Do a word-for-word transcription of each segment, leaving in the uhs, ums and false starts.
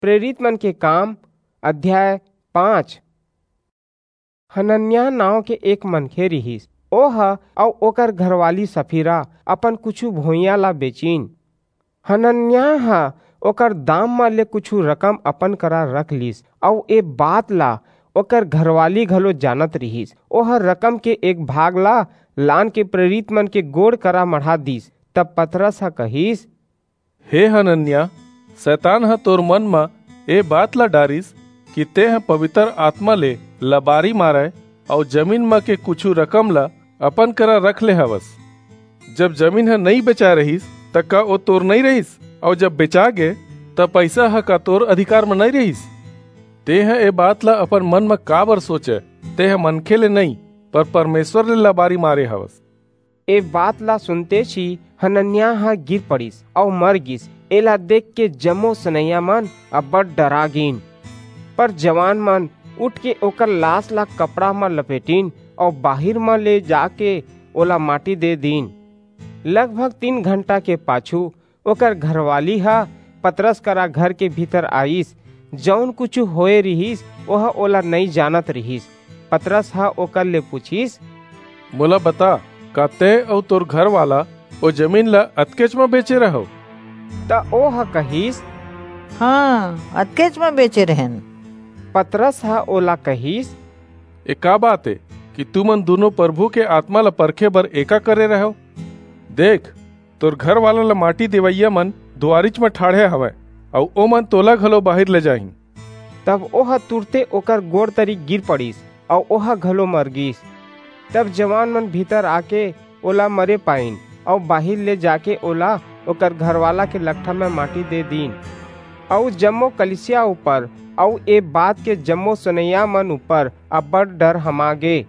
प्रेरित मन के काम, अध्याय पाँच। हनन्याह नांव के एक मनखे रिहिस। ओह अऊ ओकर घरवाली सफीरा अपन कुछू भुइयां ला बेचिन। हनन्याह ह ओकर दाम म ले कुछू रकम अपन करा रख लीस, अऊ ए बात ला ओकर घरवाली घलो जानत रिहिस। ओह रकम के एक भाग ला लान के प्रेरित मन के गोड़ करा मढ़ा दीस। तब पतरस ह कहिस, "हे हनन्याह, शैतान ह तोर मन म ए बात ला डारिस कि तेंह पवित्र आत्मा ले लबारी मारय अऊ जमीन म के कुछू रकम ला अपन करा रख ले हवस। जब जमीन ह नइं बेचाय रहिस, त का ओ तोर नइं रहिस? अऊ जब बेचा गे, त पईसा ह का तोर अधिकार म नइं रहिस? तेंह ए बात ला अपन मन म काबर सोचय? तेंह मनखे ले नइं, पर परमेसर ले लबारी मारे हवस।" ए बात ला सुनतेच ही हनन्याह ह गिर पड़िस अऊ मर गीस। एला देख के जम्मो सुनइया मन अब्बड़ डरा गीन। पर जवान मन उठ के ओकर लास ला कपड़ा म लपेटिन अऊ बाहिर म ले जाके ओला माटी दे दीन। लगभग तीन घंटा के पाछू ओकर घरवाली ह पतरस करा घर के भीतर आईस। जऊन कुछू होए रिहिस, ओह ओला नइं जानत रिहिस। पतरस ह ओकर ले पुछिस, "मोला बता, का तें अऊ तोर घरवाला ओ जमीन ला अतकेच म बेचे रहव?" त ओह कहिस, "हां, अतकेच म बेचे रहेन।" पतरस ह ओला कहिस, "ए का बात ए कि तुमन दूनों परभू के आतमा ला परखे बर एका करे रहव? देख, तोर घरवाला ला माटी देवइया मन दुवारिच म ठाढ़े हवंय, अऊ ओमन तोला घलो बाहिर ले जाहीं।" तब ओह तुरते ओकर गोड़ तरी गिर पड़िस, अऊ ओह घलो मर गीस। तब जवान मन भीतर आके ओला मरे पाईन, अऊ बाहिर ले जाके ओला ओकर घरवाला के लकठा म माटी दे दीन। अऊ जम्मो कलीसिया ऊपर अऊ ए बात के जम्मो सुनइया मन ऊपर अब्बड़ डर हमा गे।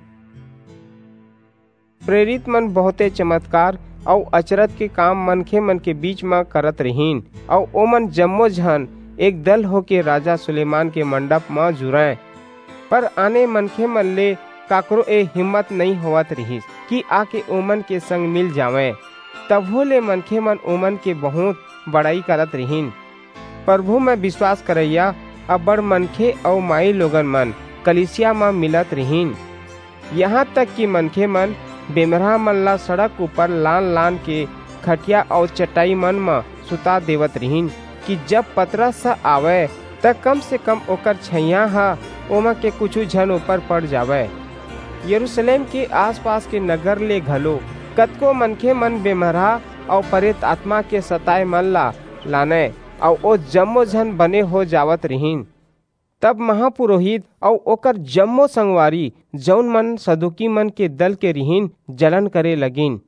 प्रेरित मन बहुंते चमतकार अऊ अचरज के काम मनखे मन के बीच म करत रिहिन, अऊ ओमन जम्मो झन एक दल होके राजा सुलेमान के मंडप म जुरंय। पर आने मनखे मन ले काकरो ए हिम्मत नइं होवत रिहिस कि आके ओमन के संग मिल जावंय। तभो ले मनखे मन ओमन के बहुंत बड़ई करत रिहिन। परभू म बिसवास करइया अब्बड़ मनखे अऊ माईलोगन मन कलीसिया म मिलत रिहिन। इहां तक कि मनखे मन बेमरहा मन ला सड़क ऊपर लान-लान के खटिया अऊ चटाई मन म सुता देवत रिहिन कि जब पतरस ह आवय, त कम से कम ओकर छइहां ह ओमा के कुछू झन ऊपर पड़ जावय। यरूसलेम के आसपास के नगर ले घलो कतको मनखे मन बेमरहा अऊ परेत आतमा के सताय मन ला लानय, अऊ ओ जम्मो झन बने हो जावत रिहिन। तब महापुरोहित अऊ ओकर जम्मो संगवारी, जऊन मन सदूकी मन के दल के रिहिन, जलन करे लगिन।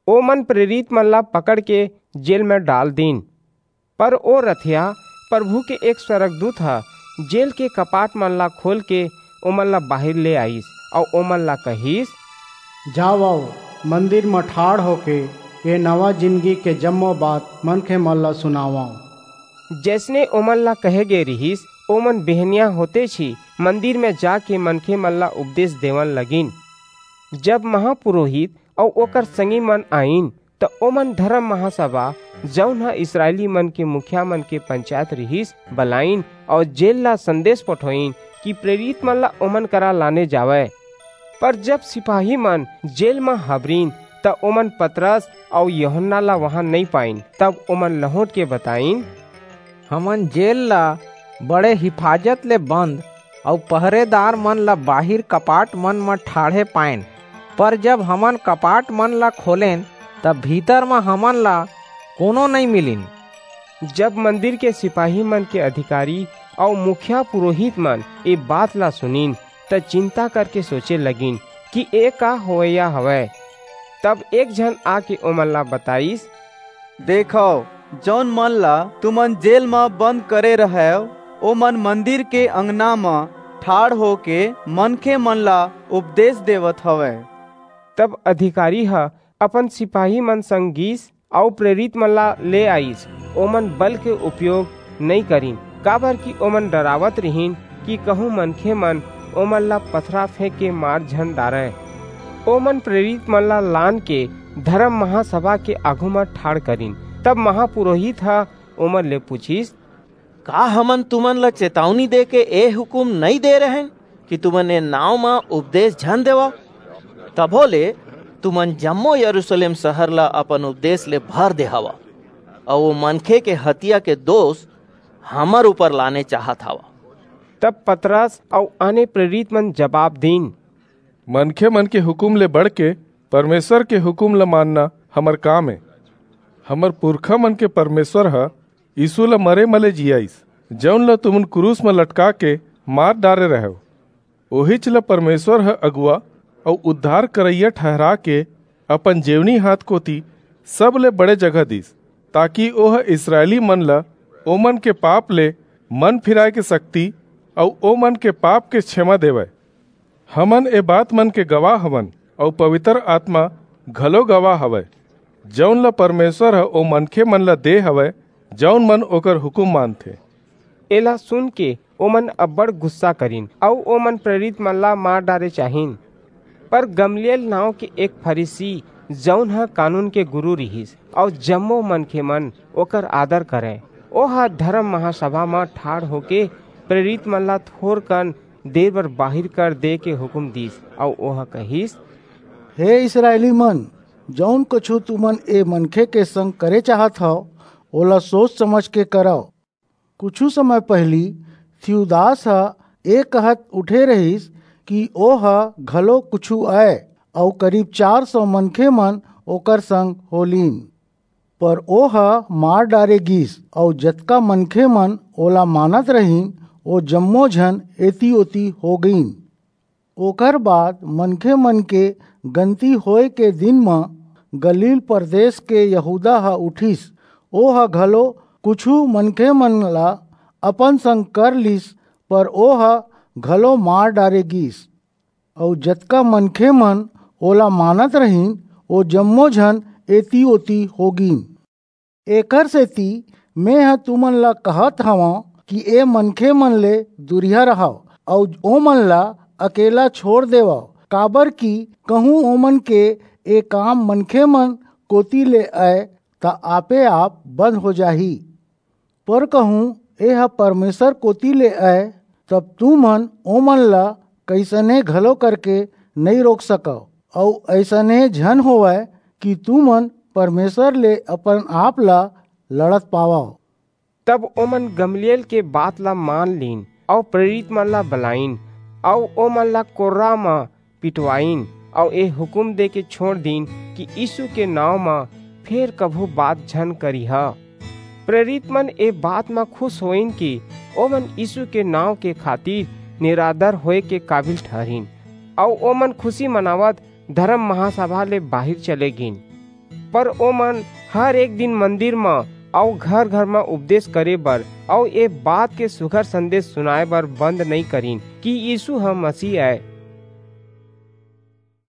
ओमन प्रेरित मन ला पकड़ के जेल म डाल दीन। पर ओ रथिया परभू के एक स्वर्गदूत ह जेल के कपाट मन ला खोल के ओमन ला बाहिर ले आईस, अऊ ओमन ला कहिस, "जावव, मंदिर म ठाढ़ होके ए नवा जिनगी के जम्मो बात मनखे मन ला सुनावव।" जइसने ओमन ला कहे गे रिहिस, ओमन बिहनिया होतेच ही मंदिर म जाके मनखे मन ला उपदेस देवन लगिन। जब महापुरोहित अऊ ओकर संगी मन आईन, त ओमन धरम महासभा, जऊन ह इसरायली मन के मुखिया मन के पंचायत रिहिस, बलाईन अऊ जेल ला संदेस पठोईन कि प्रेरित मन ला ओमन करा लाने जावय। पर जब सिपाही मन जेल म हबरिन, त ओमन पतरस अऊ यूहन्ना ला उहां नइं पाईन। तब ओमन लहुंट के बताईन, "हमन जेल ला बड़े हिफाजत ले बंद अऊ पहरेदार मन ला बाहिर कपाट मन म ठाढ़े पाएन, पर जब हमन कपाट मन ला खोलेन, त भीतर म हमन ला कोनो नइं मिलिन।" जब मंदिर के सिपाही मन के अधिकारी अऊ मुखिया पुरोहित मन ए बात ला सुनिन, त चिंता करके सोचे लगिन कि ए का होवइया हवय। तब एक झन आके ओमन ला बताईस, "देखव, जऊन मन ला तुमन जेल म बंद करे रहव, ओमन मंदिर के अंगना म ठाढ़ होके मनखे मन ला उपदेस देवत हवंय।" तब अधिकारी ह अपन सिपाही मन संग गीस अऊ प्रेरित मन ला ले आईस। ओमन बल के उपयोग नइं करिन, काबरकि ओमन डरावत रिहिन कि कहूं मनखे मन ओमन ला पथरा फेंक के मार झन डारंय। ओमन प्रेरित मन ला लान के धरम महासभा के आघू म ठाढ़ करिन। तब महापुरोहित ह ओमन ले पुछिस, का हमन तुमन ला चेतावनी दे के ए हुकुम नइं दे रहेन कि तुमन ए नांव म उपदेस झन देवव? तभो ले तुमन जम्मो यरूसलेम सहर ला अपन उपदेस ले भर दे हवव, अऊ ओ मनखे के हतिया के दोस हमर ऊपर लाने चाहत हवव। तब पतरस अऊ आने प्रेरितमन जबाब दीन, मनखेमन के हुकुम ले बढ़के परमेसर के हुकुम ला मानना हमर काम ए। हमर पुरखामन के परमेसर ह यीसू ला मरे म ले जियाईस, जऊन ला तुमन कुरूस म लटकाके मार डारे रहेव। ओहीच ला परमेसर ह अगुवा अऊ उद्धार करइया ठहराके अपन जेवनी हांथ कोति सबले बड़े जगह दीस, ताकि ओह इसरायलीमन ला ओमन के पाप ले मन फिराय के सक्ति अऊ ओमन के पाप के छेमा देवय। हमन ए बातमन के गवाह हवन, अऊ पबितर आतमा घलो गवाह हवय, जऊन ला परमेसर ह ओ मनखेमन ला दे हवय, जऊन मन ओकर हुकुम मानथें। एला सुनके ओमन अब्बड़ गुस्सा करिन, अऊ ओमन प्रेरितमन ला मार डारे चाहिन। पर गमलीएल नांव के एक फरीसी, जऊन ह कानून के गुरू रिहिस, अऊ जम्मो मनखेमन ओकर आदर करंय, ओह धरम महासभा म ठाढ़ होके प्रेरितमन ला थोरकन देर बर बाहिर कर दे के हुकुम दीस, अऊ ओह कहिस, हे इसरायलीमन, जऊन कुछू तुमन ए मनखे के संग करे चाहत हव, ओला सोच समझके करव। कुछू समय पहिली थियूदास ह ए कहत उठे रिहिस कि ओह घलो कुछू अय, अऊ करीब चार सौ मनखेमन ओकर संग हो लीन। पर ओह मार डारे गीस, अऊ जतका मनखेमन ओला मानत रहिन, ओ जम्मो झन एती-ओती हो गीन। ओकर बाद मनखेमन के गनती होय के दिन म गलील परदेस के यहूदा ह उठिस। ओह घलो कुछू मनखेमन ला अपन संग कर लीस, पर ओह घलो मार डारे गीस। अऊ जतका मनखेमन ओला मानत रहिन, ओ जम्मो झन एती-ओती हो गीन। एकरसेति मेंह तुमन ला कहत हवंव कि ए मनखेमन ले दूरिहा रहव, अऊ ओमन ला अकेल्ला छोंड़ देवव, काबरकि कहूं ओमन के ए काम मनखेमन कोति ले अय, त आपे-आप बंद हो जाही। पर कहूं एह परमेसर कोति ले अय, तब तुमन ओमन ला कइसने घलो करके नइं रोक सकव, अऊ अइसने झन होवय कि तुमन परमेसर ले अपन-आप ला लड़त पावव। तब ओमन गमलीएल के बात ला मान लीन, अऊ प्रेरितमन ला बलाईन, अऊ ओमन ला कोर्रा म पिटवाईन, अऊ ए हुकुम देके छोंड़ दीन कि यीसू के नांव म फेर कभू बात झन करिहा। प्रेरितमन ए बात म खुस होईन कि ओमन यीसू के नांव के खातिर निरादर होय के काबिल ठहरिन, अऊ ओमन खुसी मनावत धरम महासभा ले बाहिर चले गीन। पर ओमन हर एक दिन मंदिर म अऊ घर-घर म उपदेस करे बर अऊ ए बात के सुघर संदेस सुनाय बर बंद नइं करिन कि यीसू ह मसीह अय।